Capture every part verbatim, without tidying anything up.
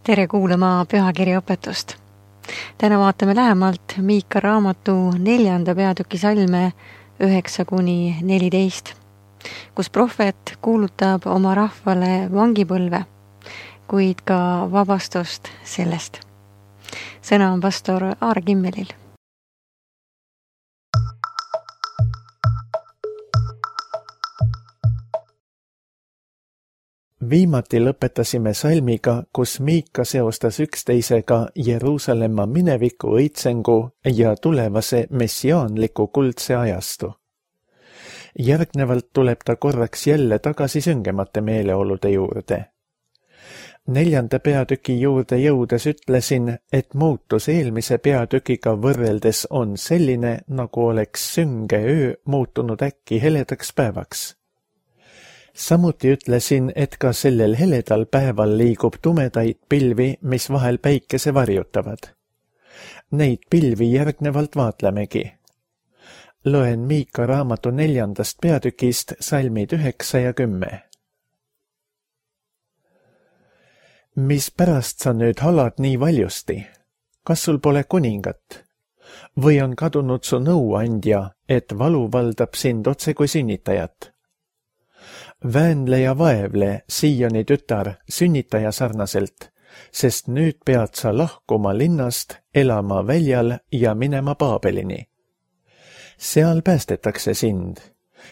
Tere kuulama pühakirjaõpetust. Täna vaatame lähemalt Miika raamatu neljanda peatüki salme üheksa kuni neliteist, kus prohvet kuulutab oma rahvale vangipõlve, kuid ka vabastust sellest. Sõna on pastor Aar Kimmelil. Viimati lõpetasime salmiga, kus Miika seostas üksteisega Jeruusalemma mineviku õitsengu ja tulevase messiaanliku kuldse ajastu. Järgnevalt tuleb ta korraks jälle tagasi süngemate meeleolude juurde. Neljanda peatüki juurde jõudes ütlesin, et muutus eelmise peatükiga võrreldes on selline, nagu oleks sünge öö muutunud äkki heledaks päevaks. Samuti ütlesin, et ka sellel heledal päeval liigub tumedaid pilvi, mis vahel päikese varjutavad. Neid pilvi järgnevalt vaatlemegi. Loen Miika raamatu neljandast peatükist salmid üheksa ja kümme. Mis pärast sa nüüd halad nii valjusti? Kas sul pole kuningat? Või on kadunud su nõuandja, et valu valdab sind otse kui sünnitajat? Väänle ja vaevle, Sioni tütar, sünnitaja sarnaselt, sest nüüd pead sa lahkuma linnast, elama väljal ja minema Paabelini. Seal päästetakse sind.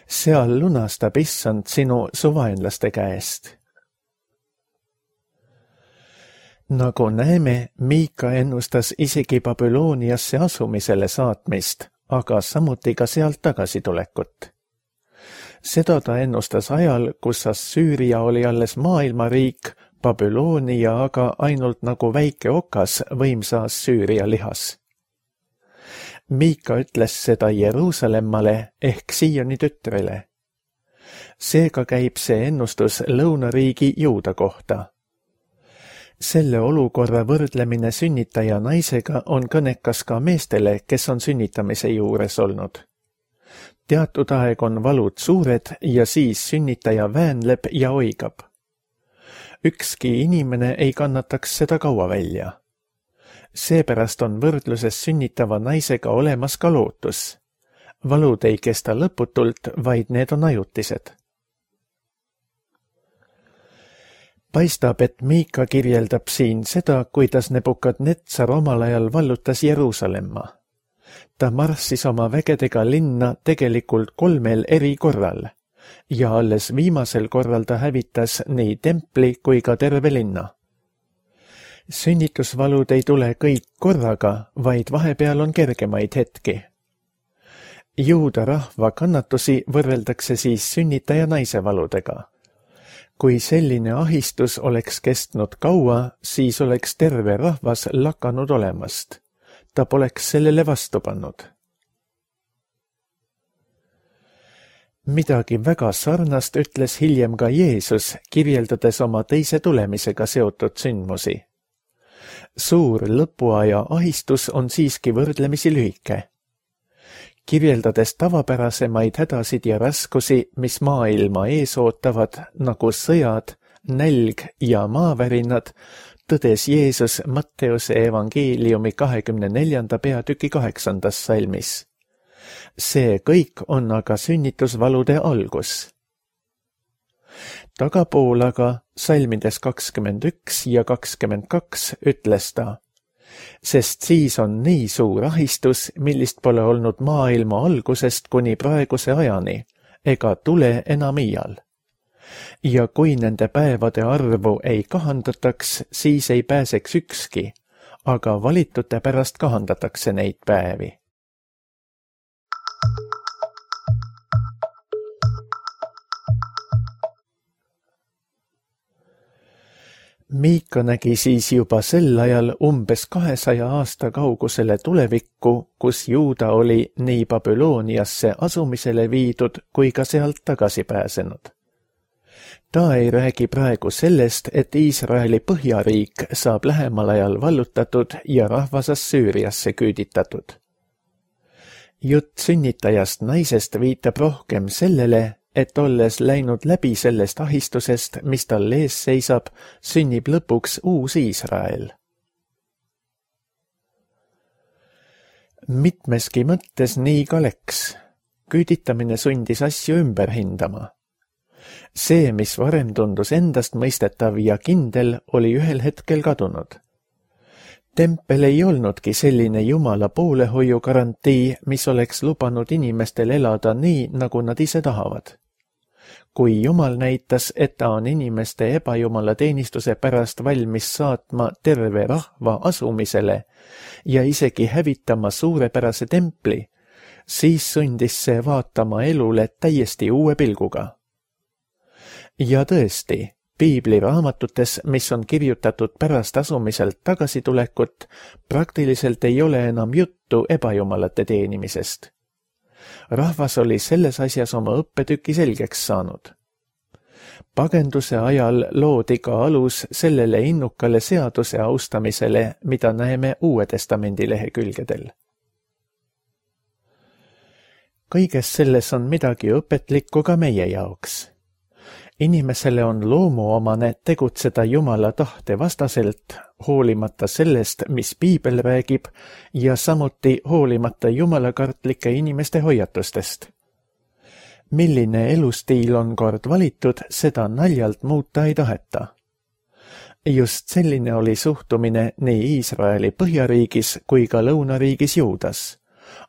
Seal lunastab issand sinu suvaenlaste käest. Nagu näeme, Miika ennustas isegi Babyloniasse asumisele saatmist, aga samuti ka sealt tagasitulekut. Seda ta ennustas ajal, kus Assüüria oli alles maailmariik, Babylonia aga ainult nagu väike okas võimsa Assüüria lihas. Miika ütles seda Jeruusalemmale ehk Sioni tütrele. Seega käib see ennustus lõunariigi Juuda kohta. Selle olukorra võrdlemine sünnitaja naisega on kõnekas ka meestele, kes on sünnitamise juures olnud. Teatud aeg on valud suured ja siis sünnitaja väänleb ja oigab. Ükski inimene ei kannataks seda kaua välja. Seepärast on võrdluses sünnitava naisega olemas ka lootus. Valud ei kesta lõputult, vaid need on ajutised. Paistab, et Miika kirjeldab siin seda, kuidas Nebukadnetsar omal ajal vallutas Jeruusalemma. Ta marssis oma vägedega linna tegelikult kolmel eri korral ja alles viimasel korral ta hävitas nii templi kui ka terve linna. Sünnitusvalud ei tule kõik korraga, vaid vahepeal on kergemaid hetki. Juuda rahva kannatusi võrreldakse siis sünnitaja naise valudega. Kui selline ahistus oleks kestnud kaua, siis oleks terve rahvas lakanud olemast. Ta poleks sellele vastu pannud. Midagi väga sarnast ütles hiljem ka Jeesus, kirjeldades oma teise tulemisega seotud sündmusi. Suur lõpuaja ahistus on siiski võrdlemisi lühike. Kirjeldades tavapärasemaid hädasid ja raskusi, mis maailma ees ootavad, nagu sõjad, nälg ja maavärinad, tõdes Jeesus Matteuse evangeeliumi kahekümne neljanda peatüki kaheksandas salmis. See kõik on aga sünnitusvalude algus. Tagapool aga salmides kakskümmend üks ja kakskümmend kaks ütles ta, sest siis on nii suur ahistus, millist pole olnud maailma algusest kuni praeguse ajani, ega tule enam iial. Ja kui nende päevade arvu ei kahandataks, siis ei pääseks ükski, aga valitute pärast kahandatakse neid päevi. Miika nägi siis juba sel ajal umbes kahesaja aasta kaugusele tulevikku, kus Juuda oli nii Babyloniasse asumisele viidud kui ka sealt tagasi pääsenud. Ta ei räägi praegu sellest, et Iisraeli põhjariik saab lähemal ajal vallutatud ja rahvas Assüüriasse küüditatud. Jutt sünnitajast naisest viitab rohkem sellele, et olles läinud läbi sellest ahistusest, mis tal ees seisab, sünnib lõpuks uus Iisrael. Mitmeski mõttes nii ka läks. Küüditamine sundis asju ümber hindama. See, mis varem tundus endast mõistetav ja kindel, oli ühel hetkel kadunud. Tempel ei olnudki selline Jumala poolehoiu garantii, mis oleks lubanud inimestel elada nii, nagu nad ise tahavad. Kui Jumal näitas, et ta on inimeste ebajumala teenistuse pärast valmis saatma terve rahva asumisele ja isegi hävitama suurepärase templi, siis sundis see vaatama elule täiesti uue pilguga. Ja tõesti, Piibli raamatutes, mis on kirjutatud pärast asumiselt tagasitulekut, praktiliselt ei ole enam juttu ebajumalate teenimisest. Rahvas oli selles asjas oma õppetüki selgeks saanud. Pagenduse ajal loodi ka alus sellele innukale seaduse austamisele, mida näeme Uue Testamendi lehekülgedel. Kõiges selles on midagi õpetlikku ka meie jaoks. Inimesele on loomuomane tegutseda Jumala tahte vastaselt, hoolimata sellest, mis Piibel räägib, ja samuti hoolimata jumalakartlike inimeste hoiatustest. Milline elustiil on kord valitud, seda naljalt muuta ei taheta. Just selline oli suhtumine nii Iisraeli põhjariigis kui ka lõunariigis Juudas,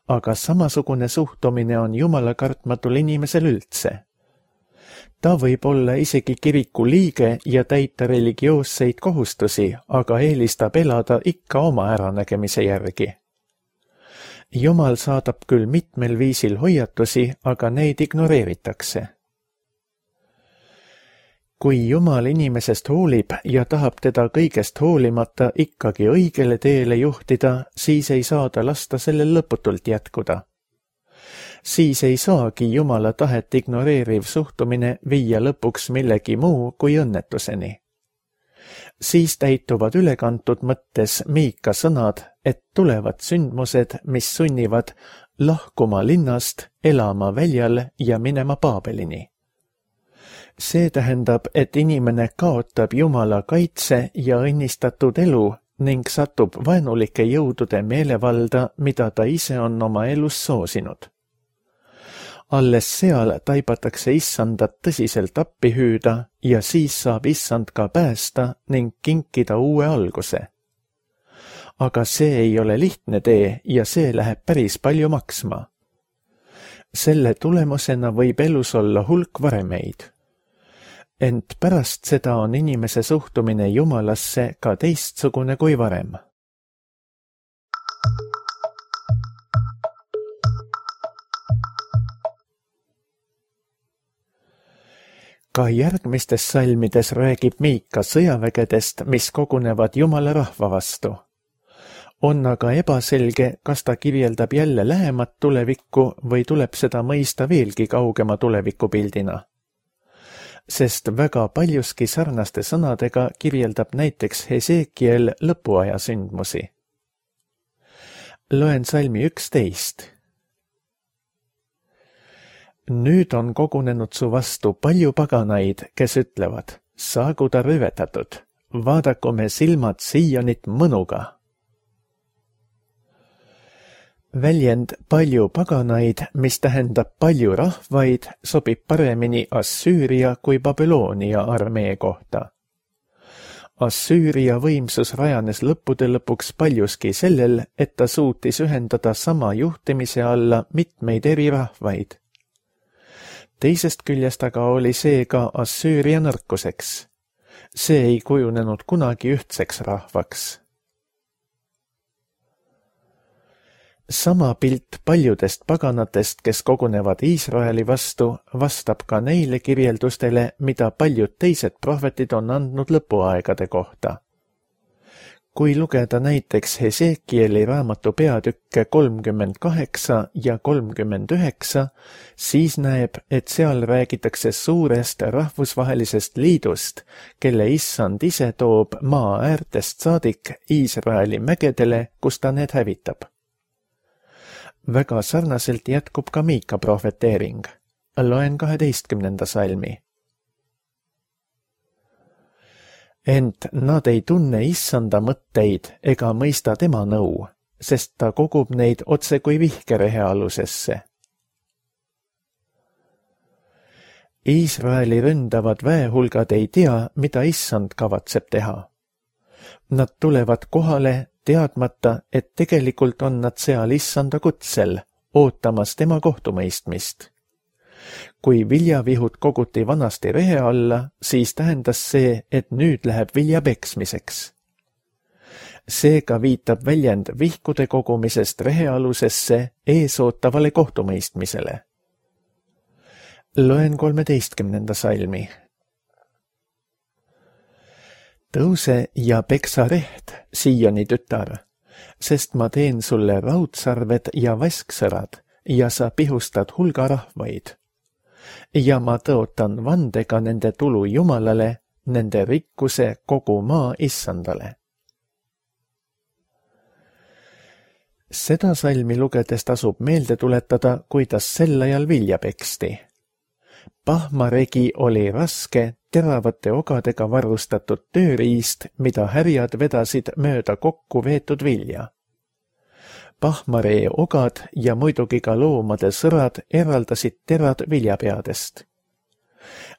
aga samasugune suhtumine on jumalakartmatul inimesel üldse. Ta võib olla isegi kiriku liige ja täita religioosseid kohustusi, aga eelistab elada ikka oma äranägemise järgi. Jumal saadab küll mitmel viisil hoiatusi, aga neid ignoreeritakse. Kui Jumal inimesest hoolib ja tahab teda kõigest hoolimata ikkagi õigele teele juhtida, siis ei saa ta lasta sellel lõputult jätkuda. Siis ei saagi Jumala tahet ignoreeriv suhtumine viia lõpuks millegi muu kui õnnetuseni. Siis täituvad ülekantud mõttes Miika sõnad, et tulevad sündmused, mis sunnivad lahkuma linnast, elama väljal ja minema Paabelini. See tähendab, et inimene kaotab Jumala kaitse ja õnnistatud elu ning satub vaenulike jõudude meelevalda, mida ta ise on oma elus soosinud. Alles seal taibatakse issandat tõsiselt appi hüüda ja siis saab issand ka päästa ning kinkida uue alguse. Aga see ei ole lihtne tee ja see läheb päris palju maksma. Selle tulemusena võib elus olla hulk varemeid. Ent pärast seda on inimese suhtumine Jumalasse ka teistsugune kui varem. Ka järgmistes salmides räägib Miika sõjavägedest, mis kogunevad Jumala rahva vastu. On aga ebaselge, kas ta kirjeldab jälle lähemat tulevikku või tuleb seda mõista veelgi kaugema tulevikupildina. Sest väga paljuski sarnaste sõnadega kirjeldab näiteks Hesekiel lõpuaja sündmusi. Loen salmi üksteist. Nüüd on kogunenud su vastu palju paganaid, kes ütlevad, saagu ta rüvetatud, vaadaku me silmad Siionit mõnuga. Väljend palju paganaid, mis tähendab palju rahvaid, sobib paremini Assüüria kui Babyloonia armee kohta. Assüüria võimsus rajanes lõppude lõpuks paljuski sellel, et ta suutis ühendada sama juhtimise alla mitmeid eri rahvaid. Teisest küljest aga oli see ka Assüüria nõrkuseks. See ei kujunenud kunagi ühtseks rahvaks. Sama pilt paljudest paganatest, kes kogunevad Iisraeli vastu, vastab ka neile kirjeldustele, mida paljud teised prohvetid on andnud lõpuaegade kohta. Kui lugeda näiteks Hesekieli raamatu peatükke kolmkümmend kaheksa ja kolmkümmend üheksa, siis näeb, et seal räägitakse suurest rahvusvahelisest liidust, kelle issand ise toob maa äärtest saadik Iisraeli mägedele, kus ta need hävitab. Väga sarnaselt jätkub ka Miika prohveteering. loen kaheteistkümnenda salmi. Ent nad ei tunne issanda mõtteid ega mõista tema nõu, sest ta kogub neid otse kui vihkerehe alusesse. Iisraeli ründavad väehulgad ei tea, mida issand kavatseb teha. Nad tulevad kohale teadmata, et tegelikult on nad seal issanda kutsel, ootamas tema kohtumõistmist. Kui viljavihud koguti vanasti rehe alla, siis tähendas see, et nüüd läheb vilja peksmiseks. Seega viitab väljend vihkude kogumisest rehealusesse eesootavale kohtumõistmisele. Loen kolmeteistkümnenda salmi. Tõuse ja peksa reht, Sioni tütar, sest ma teen sulle raudsarved ja vasksõrad ja sa pihustad hulga rahvaid. Ja ma tõotan vandega nende tulu Jumalale, nende rikkuse kogu maa issandale. Seda salmi lugedes tasub meelde tuletada, kuidas sel ajal vilja peksti. Pahmaregi oli raske, teravate ogadega varustatud tööriist, mida härjad vedasid mööda kokku veetud vilja. Pahmaree ogad ja muidugi ka loomade sõrad eraldasid terad viljapeadest.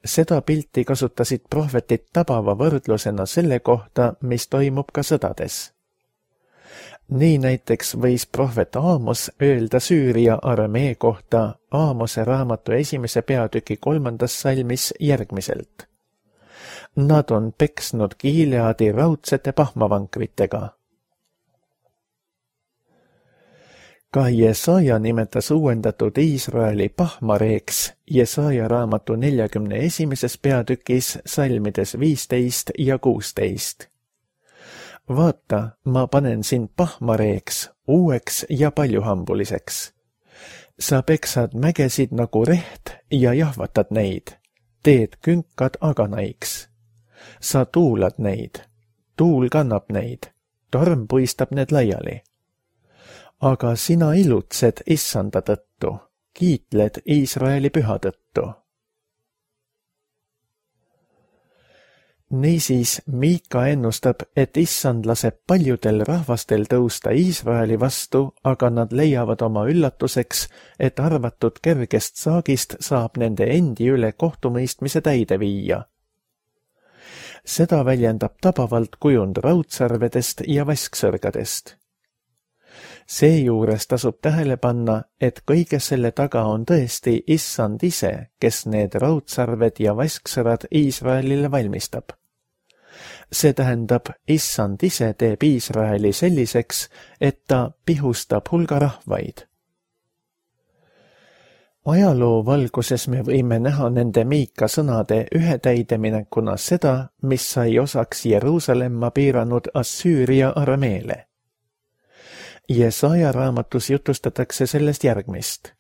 Seda pilti kasutasid prohvetid tabava võrdlusena selle kohta, mis toimub ka sõdades. Nii näiteks võis prohvet Aamos öelda Süüria armee kohta Aamose raamatu esimese peatüki kolmandas salmis järgmiselt. Nad on peksnud Gileadi raudsete pahmavankritega. Ka Jesaja nimetas uuendatud Iisraeli pahmareeks Jesaja raamatu neljakümne esimeses peatükis salmides viisteist ja kuusteist. Vaata, ma panen sind pahmareeks, uueks ja paljuhambuliseks. Sa peksad mägesid nagu reht ja jahvatad neid, teed künkad aganaiks. Sa tuulad neid, tuul kannab neid, torm puistab need laiali. Aga sina ilutsed issanda tõttu, kiitled Iisraeli püha tõttu. Niisiis Miika ennustab, et issand laseb paljudel rahvastel tõusta Iisraeli vastu, aga nad leiavad oma üllatuseks, et arvatud kergest saagist saab nende endi üle kohtumõistmise täide viia. Seda väljendab tabavalt kujund raudsarvedest ja vasksõrgadest. Seejuures tasub tähele panna, et kõige selle taga on tõesti issand ise, kes need raudsarved ja vasksõrad Iisraelile valmistab. See tähendab, issand ise teeb Iisraeli selliseks, et ta pihustab hulga rahvaid. Ajaloo valguses me võime näha nende Miika sõnade ühe täideminekuna seda, mis sai osaks Jeruusalemma piiranud Assüüria armeele. Jesaja raamatus jutustatakse sellest järgmist.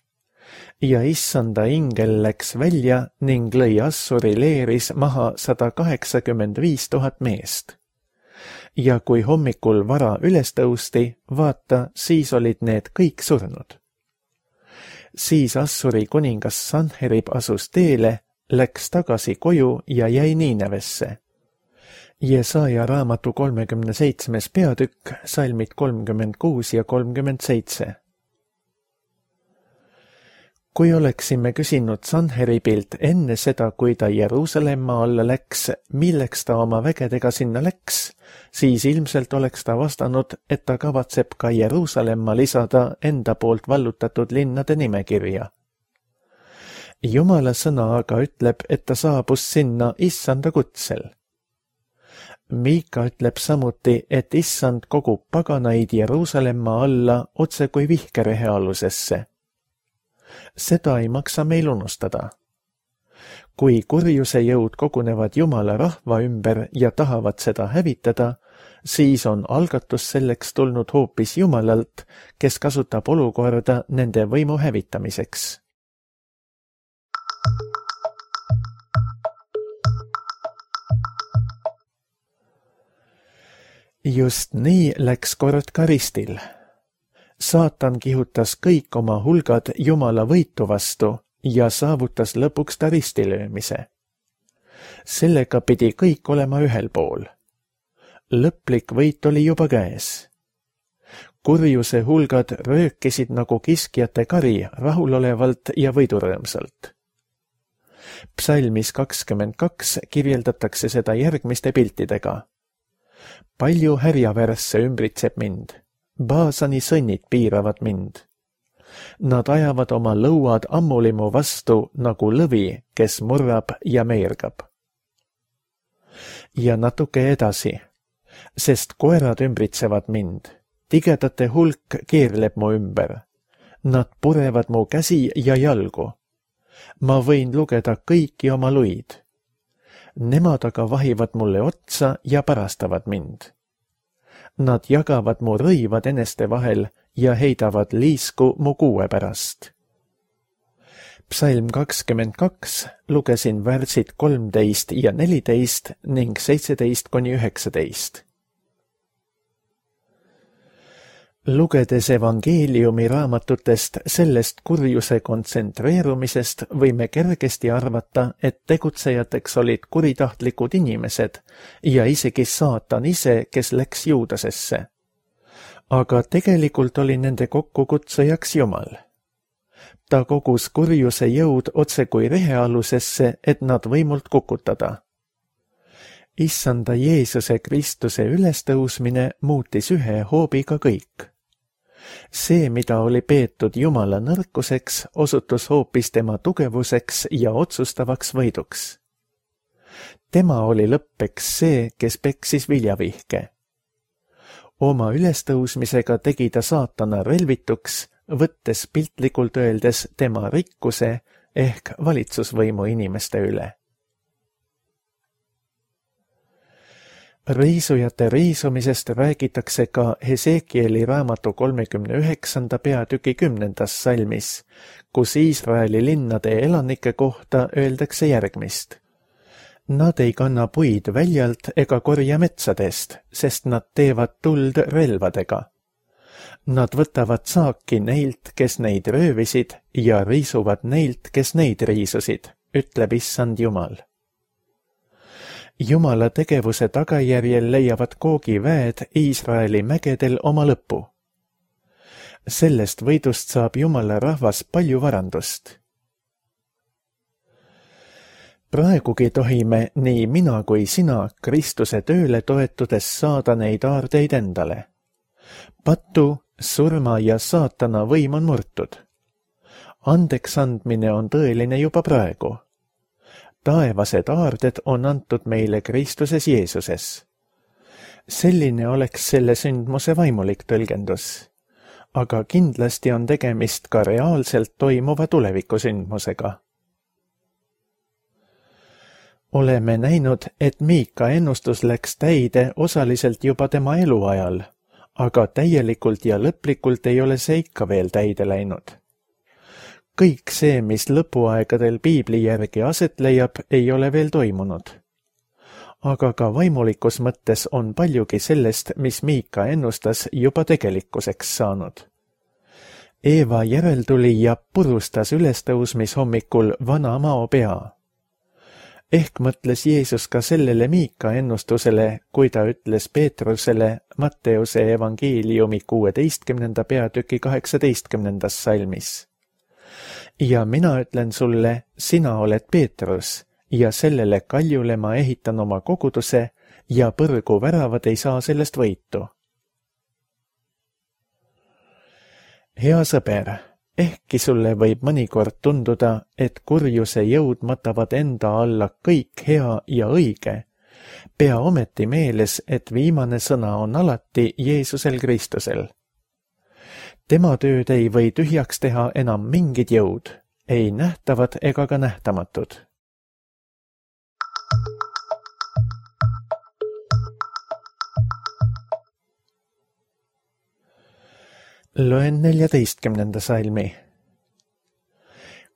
Ja issanda ingel läks välja ning lõi Assuri leeris maha sada kaheksakümmend viis tuhat meest. Ja kui hommikul vara üles tõusti, vaata, siis olid need kõik surnud. Siis Assuri kuningas Sanherib asus teele, läks tagasi koju ja jäi Niinevesse. Jesaja raamatu kolmekümne seitsmes peatükk, salmid kolmkümmend kuus ja kolmkümmend seitse. Kui oleksime küsinud Sanheribilt enne seda, kui ta Jeruusalemma alla läks, milleks ta oma vägedega sinna läks, siis ilmselt oleks ta vastanud, et ta kavatseb ka Jeruusalemma lisada enda poolt vallutatud linnade nimekirja. Jumala sõna aga ütleb, et ta saabus sinna issanda kutsel. Miika ütleb samuti, et issand kogub paganaid Jeruusalemma alla otse kui vihkerehe alusesse. Seda ei maksa meil unustada. Kui kurjuse jõud kogunevad Jumala rahva ümber ja tahavad seda hävitada, siis on algatus selleks tulnud hoopis Jumalalt, kes kasutab olukorda nende võimu hävitamiseks. Just nii läks kord Karistil. Saatan kihutas kõik oma hulgad Jumala võitu vastu ja saavutas lõpuks ta ristilöömise. Sellega pidi kõik olema ühel pool. Lõplik võit oli juba käes. Kurjuse hulgad röökisid nagu kiskjate kari rahulolevalt ja võidurõõmsalt. Psalmis kakskümmend kaks kirjeldatakse seda järgmiste piltidega. Palju härjavärsse ümbritseb mind, Baasani sõnnid piiravad mind. Nad ajavad oma lõuad ammulimu vastu nagu lõvi, kes murrab ja meergab. Ja natuke edasi, sest koerad ümbritsevad mind, tigedate hulk keerleb mu ümber. Nad purevad mu käsi ja jalgu. Ma võin lugeda kõiki oma luid. Nemad aga vahivad mulle otsa ja parastavad mind. Nad jagavad mu rõivad eneste vahel ja heidavad liisku mu kuue pärast. Psalm kakskümmend kaks lugesin värsid kolmteist ja neliteist ning seitseteist kuni üheksateist. Lugedes evangeeliumi raamatutest sellest kurjuse kontsentreerumisest võime kergesti arvata, et tegutsejateks olid kuritahtlikud inimesed ja isegi saatan ise, kes läks Juudasesse. Aga tegelikult oli nende kokkukutsujaks Jumal. Ta kogus kurjuse jõud otse kui rehealusesse, et nad võimult kukutada. Issanda Jeesuse Kristuse ülestõusmine muutis ühe hoobiga kõik. See, mida oli peetud Jumala nõrkuseks, osutus hoopis tema tugevuseks ja otsustavaks võiduks. Tema oli lõppeks see, kes peksis viljavihke. Oma ülestõusmisega tegi ta saatana relvituks, võttes piltlikult öeldes tema rikkuse ehk valitsusvõimu inimeste üle. Riisujate riisumisest räägitakse ka Hesekieli raamatu kolmekümne üheksanda peatüki kümnendas salmis, kus Iisraeli linnade elanike kohta öeldakse järgmist. Nad ei kanna puid väljalt ega korja metsadest, sest nad teevad tuld relvadega. Nad võtavad saaki neilt, kes neid röövisid, ja riisuvad neilt, kes neid riisusid, ütleb issand Jumal. Jumala tegevuse tagajärjel leiavad Googi väed Iisraeli mägedel oma lõpu. Sellest võidust saab Jumala rahvas palju varandust. Praegugi tohime nii mina kui sina Kristuse tööle toetudes saada neid aardeid endale. Patu, surma ja saatana võim on murtud. Andeks andmine on tõeline juba praegu. Taevased aarded on antud meile Kristuses Jeesuses. Selline oleks selle sündmuse vaimulik tõlgendus, aga kindlasti on tegemist ka reaalselt toimuva tulevikusündmusega. Oleme näinud, et Miika ennustus läks täide osaliselt juba tema eluajal, aga täielikult ja lõplikult ei ole see ikka veel täide läinud. Kõik see, mis lõpuaegadel piibli järgi aset leiab, ei ole veel toimunud. Aga ka vaimulikus mõttes on paljugi sellest, mis Miika ennustas, juba tegelikkuseks saanud. Eeva järeltulija purustas ülestõusmishommikul vana mao pea. Ehk mõtles Jeesus ka sellele Miika ennustusele, kui ta ütles Peetrusele Matteuse evangeeliumi kuueteistkümnenda peatüki kaheksateistkümnendas salmis. Ja mina ütlen sulle, sina oled Peetrus, ja sellele kaljule ma ehitan oma koguduse ja põrgu väravad ei saa sellest võitu. Hea sõber, ehkki sulle võib mõnikord tunduda, et kurjuse jõud matavad enda alla kõik hea ja õige, pea ometi meeles, et viimane sõna on alati Jeesusel Kristusel. Tema tööd ei või tühjaks teha enam mingid jõud, ei nähtavad ega ka nähtamatud. Loen neljateistkümnenda salmi.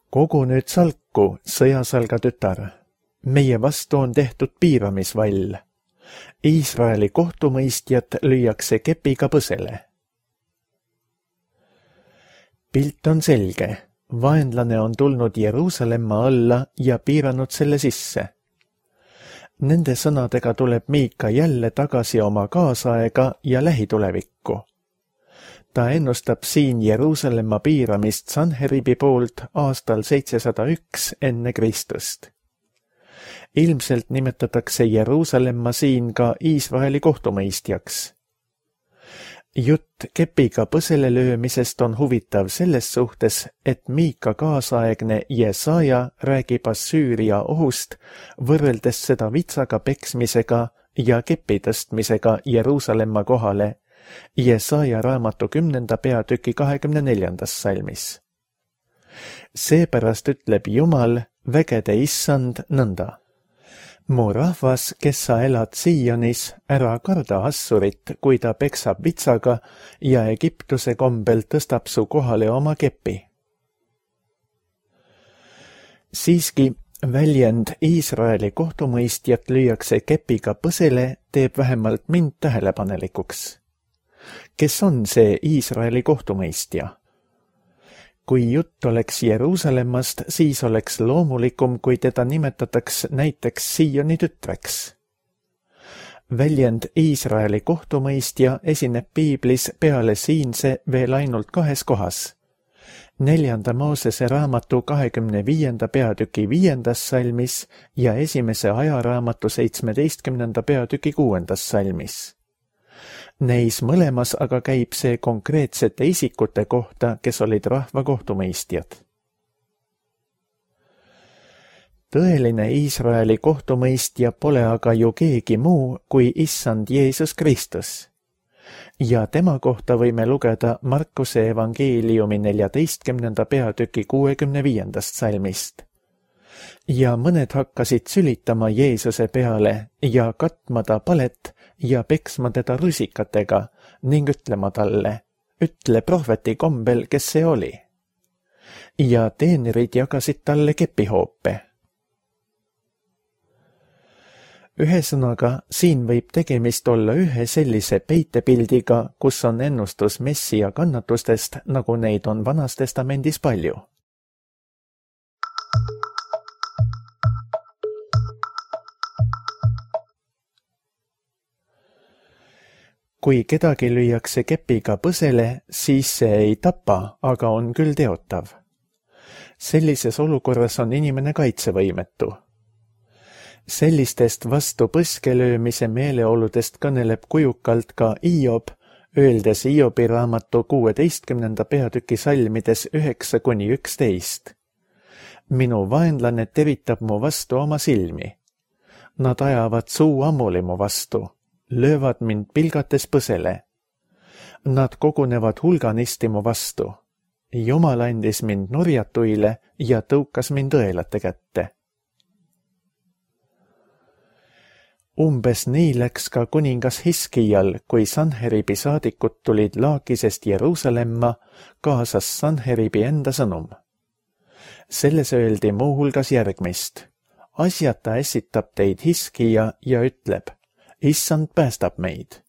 Kogu nüüd salku, sõjasalga tütar. Meie vastu on tehtud piiramisvall. Iisraeli kohtumõistjat lüüakse kepiga põsele. Pilt on selge. vaenlane on tulnud Jeruusalemma alla ja piiranud selle sisse. Nende sõnadega tuleb Miika jälle tagasi oma kaasaega ja lähitulevikku. Ta ennustab siin Jeruusalemma piiramist Sanheribi poolt aastal seitsesada üks enne Kristust. Ilmselt nimetatakse Jeruusalemma siin ka Iisraeli kohtumõistjaks. Jutt kepiga põsele löömisest on huvitav selles suhtes, et Miika kaasaegne Jesaja räägib Assüüria ohust, võrreldes seda vitsaga peksmisega ja kepi tõstmisega Jeruusalemma kohale, Jesaja raamatu kümnenda peatüki kahekümne neljandas salmis. Seepärast ütleb Jumal, vägede issand, nõnda. Mu rahvas, kes sa elad Sionis, ära karda Assurit, kui ta peksab vitsaga ja Egiptuse kombel tõstab su kohale oma kepi. Siiski väljend Iisraeli kohtumõistjat lüüakse kepiga põsele teeb vähemalt mind tähelepanelikuks. Kes on see Iisraeli kohtumõistja? Kui jutt oleks Jeruusalemmast, siis oleks loomulikum, kui teda nimetataks näiteks Sioni tütreks. Väljend Iisraeli kohtumõistja esineb piiblis peale siinse veel ainult kahes kohas. Neljanda Moosese raamatu kahekümne viienda peatüki viiendas salmis ja esimese ajaraamatu seitsmeteistkümnenda peatüki kuuendas salmis. Neis mõlemas aga käib see konkreetsete isikute kohta, kes olid rahva kohtumõistjad. Tõeline Iisraeli kohtumõistja pole aga ju keegi muu kui issand Jeesus Kristus. Ja tema kohta võime lugeda Markuse evangeeliumi neljateistkümnenda peatüki kuuekümne viiendast salmist. Ja mõned hakkasid sülitama Jeesuse peale ja katma ta palet ja peksma teda rusikatega ning ütlema talle, ütle prohveti kombel, kes see oli. Ja teenrid jagasid talle kepihoope. Ühesõnaga, siin võib tegemist olla ühe sellise peitepildiga, kus on ennustus Messia kannatustest, nagu neid on Vanas Testamendis palju. Kui kedagi lüüakse kepiga põsele, siis see ei tapa, aga on küll teotav. Sellises olukorras on inimene kaitsevõimetu. Sellistest vastu põskelöömise meeleoludest kõneleb kujukalt ka Hiob, öeldes Hiobi raamatu kuueteistkümnenda peatüki salmides üheksa kuni üksteist. Minu vaenlane teritab mu vastu oma silmi. Nad ajavad suu ammuli mu vastu. Löövad mind pilgates põsele. Nad kogunevad hulganisti mu vastu. Jumal andis mind nurjatuile ja tõukas mind õelate kätte. Umbes nii läks ka kuningas Hiskijal, kui Sanheribi saadikud tulid Laakisest Jeruusalemma, kaasas Sanheribi enda sõnum. Selles öeldi muuhulgas järgmist. Asjata ässitab teid Hiskija ja ütleb, issand päästab meid.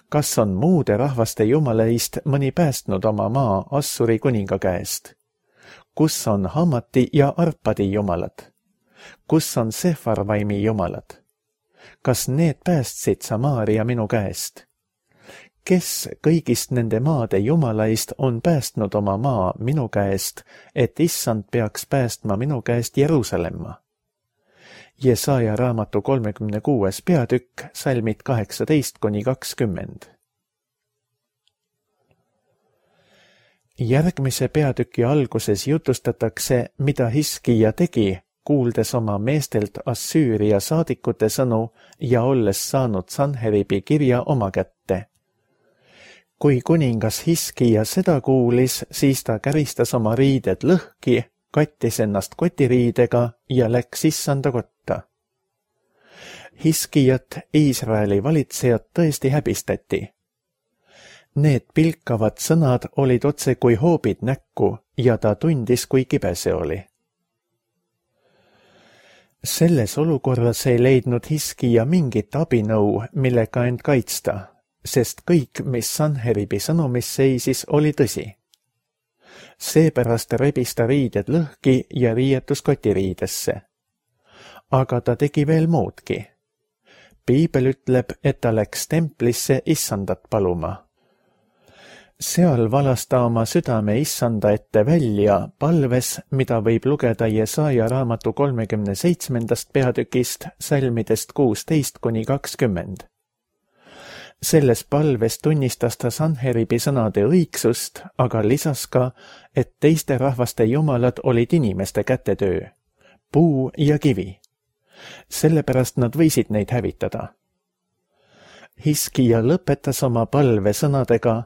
Kas on muude rahvaste jumaleist mõni päästnud oma maa Assuri kuninga käest? Kus on Hamati ja Arpadi jumalad? Kus on Sefarvaimi jumalad? Kas need päästsid Samaaria minu käest? Kes kõigist nende maade jumalaist on päästnud oma maa minu käest, et issand peaks päästma minu käest Jeruusalemma? Jesaja raamatu kolmekümne kuues peatükk, salmid kaheksateist kuni kakskümmend. Järgmise peatüki alguses jutustatakse, mida Hiskija tegi, kuuldes oma meestelt Assüüria saadikute sõnu ja olles saanud Sanheribi kirja oma kätte. Kui kuningas Hiskija seda kuulis, siis ta käristas oma riided lõhki, kattis ennast kotiriidega ja läks issanda kotta. Hiskijat, Iisraeli valitsejat, tõesti häbistati. Need pilkavad sõnad olid otse kui hoobid näkku ja ta tundis, kui kibe see oli. Selles olukorras ei leidnud Hiskija mingit abinõu, millega end kaitsta, sest kõik, mis Sanheribi sõnumis seisis, oli tõsi. Seepärast rebis ta riided lõhki ja riietus kotiriidesse. Aga ta tegi veel muudki. Piibel ütleb, et ta läks templisse issandat paluma. Seal valas ta oma südame issanda ette välja palves, mida võib lugeda Jesaja raamatu kolmekümne seitsmendast peatükist salmidest kuusteist kuni kakskümmend. Selles palves tunnistas ta Sanheribi sõnade õigsust, aga lisas ka, et teiste rahvaste jumalad olid inimeste kätetöö, puu ja kivi. Sellepärast nad võisid neid hävitada. Hiskija lõpetas oma palve sõnadega,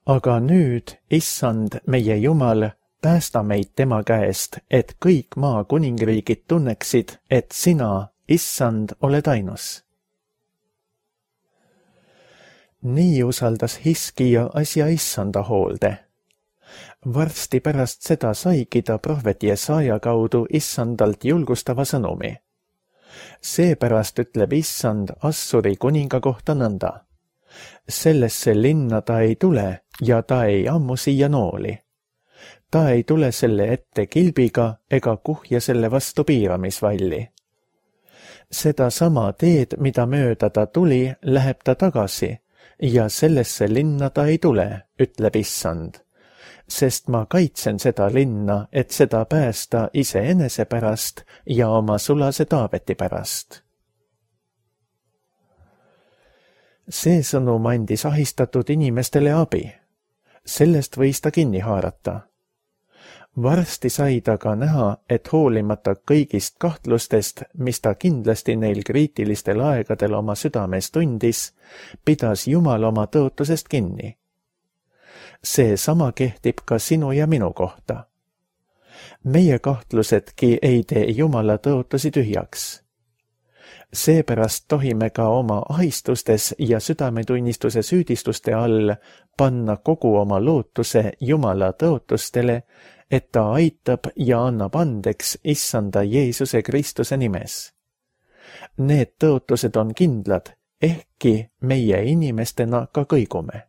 aga nüüd, issand, meie Jumal, päästa meid tema käest, et kõik maa kuningriigid tunneksid, et sina, issand, oled ainus. Nii usaldas Hiskija asja issanda hoolde. Varsti pärast seda saigi ta prohvet Jesaja kaudu issandalt julgustava sõnumi. Seepärast ütleb issand Assuri kuninga kohta nõnda. Sellesse linna ta ei tule ja ta ei ammu siia nooli. Ta ei tule selle ette kilbiga ega kuhja selle vastu piiramisvalli. Seda sama teed, mida mööda ta tuli, läheb ta tagasi ja sellesse linna ta ei tule, ütleb issand. Sest ma kaitsen seda linna, et seda päästa iseenese pärast ja oma sulase Taaveti pärast. See sõnum andis ahistatud inimestele abi. Sellest võis ta kinni haarata. Varsti sai ta ka näha, et hoolimata kõigist kahtlustest, mis ta kindlasti neil kriitilistel aegadel oma südames tundis, pidas Jumal oma tõotusest kinni. See sama kehtib ka sinu ja minu kohta. Meie kahtlusedki ei tee Jumala tõotusi tühjaks. Seepärast tohime ka oma ahistustes ja südametunnistuse süüdistuste all panna kogu oma lootuse Jumala tõotustele, et ta aitab ja annab andeks issanda Jeesuse Kristuse nimes. Need tõotused on kindlad, ehkki meie inimestena ka kõigume.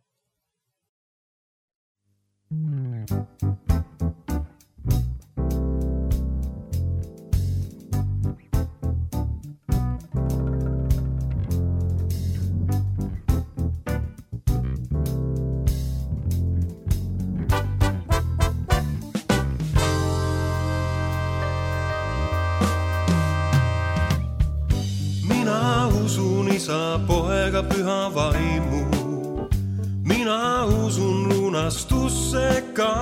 Mina usun Isa, Poega, Püha Vaimu. Mina usun lunastusse ka.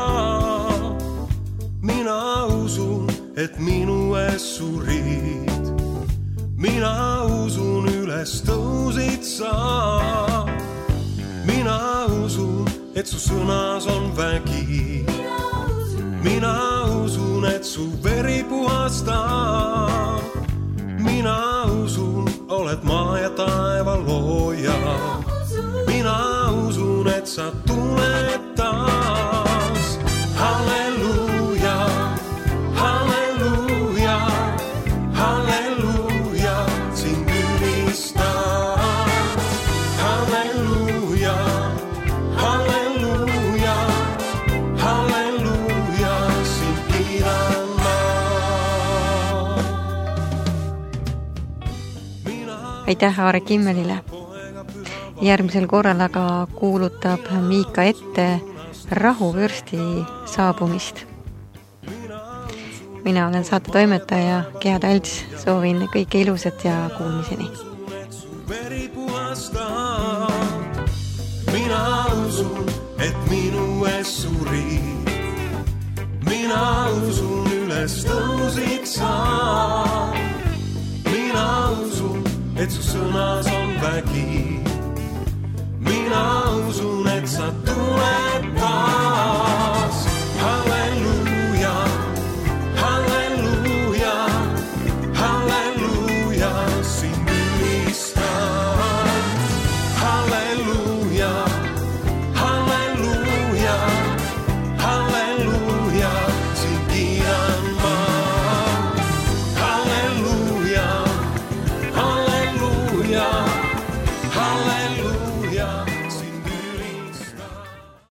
Mina usun, et minu ees surid. Mina usun, üles tõusid sa. Mina usun, et su sõnas on vägi. Mina usun, et su veri puhastab. Mina usun, oled maa ja taeva looja. Mina usun, et sa tuled taas. Halleluuja, halleluuja, halleluuja, sind ülistan. Halleluuja, halleluuja, halleluuja, sind kiidan ma. Aitäh Aare Kimmelile. Järgmisel korral aga kuulutab Miika ette rahuvürsti saabumist. Mina olen saate toimetaja Gea Talts, soovin kõike ilusat ja kuulmiseni. Mina usun, et minu ees surid. Mina usun, üles tõusid sa. Mina usun, et su sõnas on vägi.